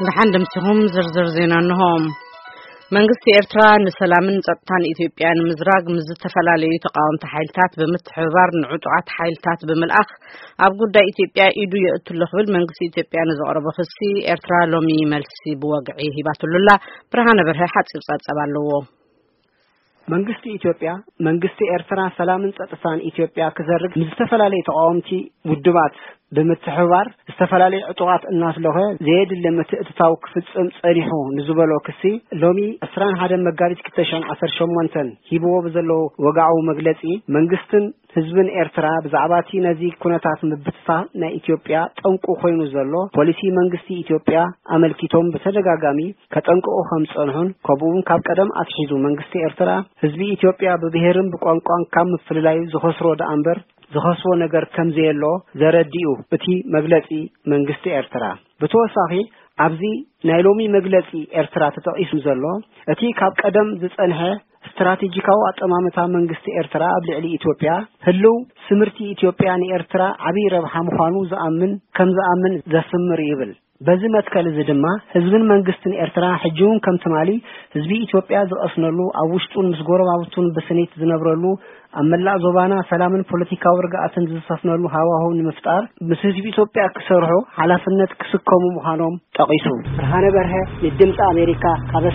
ደሓን ደምሲኹም። ዝርዝር ዜና እንሆ። መንግስቲ ኤርትራ ንሰላምን ጸጥታን ኢትዮጵያ ንምዝራግ ምስ ዝተፈላለዩ ተቃወምቲ ሓይልታት ብምትሕብባር ንዕጡቓት ሓይልታት ብምልኣኽ ኣብ ጉዳይ ኢትዮጵያ ኢዱ የእትሎ ክብል መንግስቲ ኢትዮጵያ ንዘቕረቦ ክሲ ኤርትራ ሎሚ መልሲ ብወግዒ ሂባትሉላ። ብርሃነ በርሀ ሓጺር ጸብጻብ ኣለዎ። መንግስቲ ኢትዮጵያ፣ መንግስቲ ኤርትራ ሰላምን ጸጥታን ኢትዮጵያ ክዘርግ ምስ ዝተፈላለዩ ተቃወምቲ ውድባት ብምትሕብባር ዝተፈላለዩ ዕጡቓት እናስለኸ ዘየድሊ ምትእትታው ክፍጽም ጸኒሑ ንዝበሎ ክሲ ሎሚ ዕስራን ሓደን መጋቢት ክልተ ሽሕን ዓሰርተ ሸሞንተን ሂብዎ ብዘለዎ ወግዓዊ መግለጺ መንግስትን ህዝብን ኤርትራ ብዛዕባ እቲ ነዚ ኩነታት ምብትታ ናይ ኢትዮጵያ ጠንቁ ኮይኑ ዘሎ ፖሊሲ መንግስቲ ኢትዮጵያ ኣመልኪቶም ብተደጋጋሚ ከጠንቅቑ ከም ዝጸንሑን ከምኡ እውን ካብ ቀደም ኣትሒዙ መንግስቲ ኤርትራ ህዝቢ ኢትዮጵያ ብብሄርን ብቋንቋን ካብ ምፍልላዩ ዝኸስሮ ደኣ እምበር ዝኸስቦ ነገር ከም ዘየሎ ዘረድእ እዩ እቲ መግለጺ መንግስቲ ኤርትራ። ብተወሳኺ ኣብዚ ናይ ሎሚ መግለጺ ኤርትራ ተጠቒሱ ዘሎ እቲ ካብ ቀደም ዝጸንሐ ስትራቴጂካዊ ኣጠማምታ መንግስቲ ኤርትራ ኣብ ልዕሊ ኢትዮጵያ ህልው ስምርቲ ኢትዮጵያ ንኤርትራ ዓብዪ ረብሓ ምዃኑ ዝኣምን ከም ዝኣምን ዘስምር ይብል። በዚ መትከል እዚ ድማ ህዝብን መንግስትን ኤርትራ ሕጂ እውን ከም ትማሊ ህዝቢ ኢትዮጵያ ዝቐስነሉ ኣብ ውሽጡን ምስ ጎረባብቱን ብስኒት ዝነብረሉ ኣብ መላእ ዞባና ሰላምን ፖለቲካዊ ርግኣትን ዝሰፍነሉ ሃዋህው ንምፍጣር ምስ ህዝቢ ኢትዮጵያ ክሰርሑ ሓላፍነት ክስከሙ ምዃኖም ጠቒሱ። ብርሃነ በርሀ ንድምፂ ኣሜሪካ ካብ